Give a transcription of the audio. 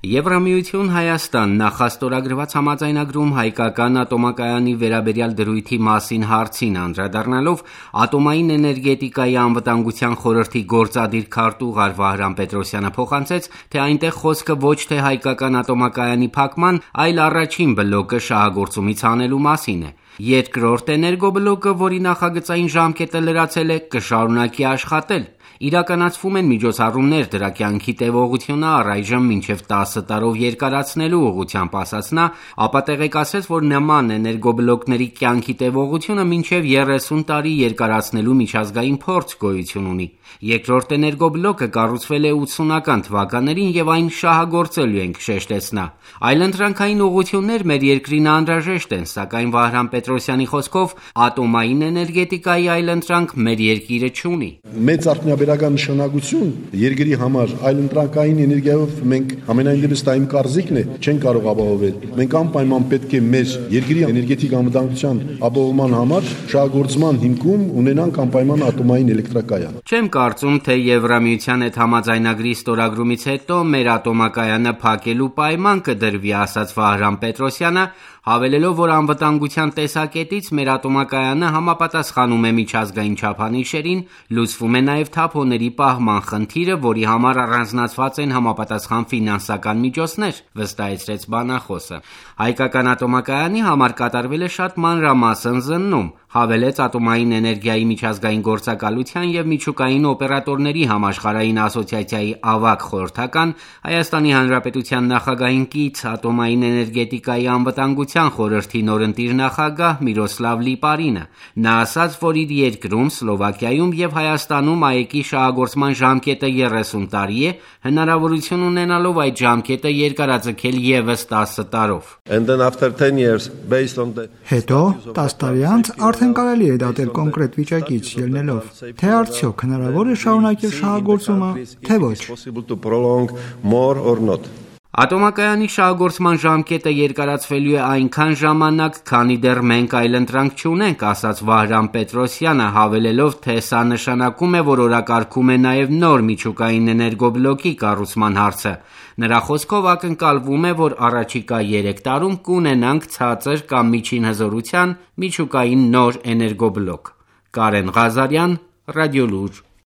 Եվրամիություն Հայաստան նախաստորագրված համաձայնագրում հայկական ատոմակայանի վերաբերյալ դրույթի մասին հարցին անդրադառնալով ատոմային էներգետիկայի անվտանգության խորհրդի գործադիր քարտուղար Վահրամ Պետրոսյանը փոխանցեց, թե այնտեղ խոսքը ոչ թե հայկական ատոմակայանի փակման, այլ առաջին բլոկը շահագործումից հանելու մասին է։ Երկրորդ էներգոբլոկը, որի նախագծային ժամկետը լրացել է, կշարունակի աշխատել։ Իրականացվում են միջոցառումներ դրա կյանքի տևողությունը առայժմ մինչև 10 տարով երկարացնելու ուղղությամբ, ասաց նա, ապա տեղեկացրեց, որ նման էներգոբլոկների կյանքի տևողությունը մինչև 30 տարի երկարացնելու միջազգային փորձ գոյություն ունի։ Երկրորդ էներգոբլոկը կառուցվել է 80-ական թվականներին եւ այն շահագործելու ենք, շեշտեց նա։ Այլընտրանքային ուղղություններ մեր երկրին անհրաժեշտ են, սակայն Վահրամ Պետրոսյանի խոսքով ատոմային էներգետիկայի այլընտրանք մեր երկիրը չունի։ Մեծ արդյունաբերական նշանակություն երկրի համար այլընտրանքային էներգիայով մենք ամենայն դեպս դա իմ կարծիքն է, չեն կարող ապահովել։ Մենք անպայման պետք է մեր երկրի էներգետիկ անվտանգության ապահովման համար շահագործման հիմքում ունենանք անպայման ատոմային էլեկտրակայան։ Չեմ կարծում, թե Եվրամիության հետ համաձայնագրի ստորագրումից հետո մեր ատոմակայանը փակելու պայման կդրվի, ասաց Վահրամ Պետրոսյանը, հավելելով, որ անվտանգության տեսակետից մեր ատոմակայանը համապատասխանում է միջազգային չափանիշերին, լուծվում է նաև թափոնների պահման խնդիրը, որի համար առանձնացված են համապատասխան ֆինանսական միջոցներ, վստահեցրեց բանախոսը։ Հայկական ատոմակայանի համար կատարվել է շատ մանրամասն զննում, հավելեց Ատոմային էներգիայի միջազգային գործակալության և միջուկային օպերատորների համաշխարհային ասոցիացիայի ավագ խորհրդական, Հայաստանի Հանրապետության նախագահին կից Ատոմային էներգետիկայի անվտանգության խորհրդի նորընտիր նախագահ Միրոսլավ Լիպարինը։ Նա ասաց, որ իր երկրում, Սլովակիայում և Հայաստանում ԱԵԿ-ի շահագործման ժամկետը 30 տարի է, հնարավորություն ունենալով այդ ժամկետը երկարաձգել ևս 10 տարով։ Հետո 10 տարի անց արդեն կարելի է դատել կոնկրետ վիճակից ելնելով, թե արդյոք հնարավոր է շարունակել շահագործումը, թե ոչ։ Ատոմակայանի շահագործման ժամկետը երկարացվելու է այնքան ժամանակ, քանի դեռ մենք այլընտրանք չունենք, ասաց Վահրամ Պետրոսյանը, հավելելով, թե սա նշանակում է, որ օրակարգում է նաև նոր միջուկային էներգոբլոկի կառուցման հարցը։ Նրա խոսքով ակնկալվում է, որ առաջիկա 3 տարում կունենանք ցածր կամ միջին հզորության միջուկային նոր էներգոբլոկ։ Կարեն Ղազարյան, Ռադիոլուր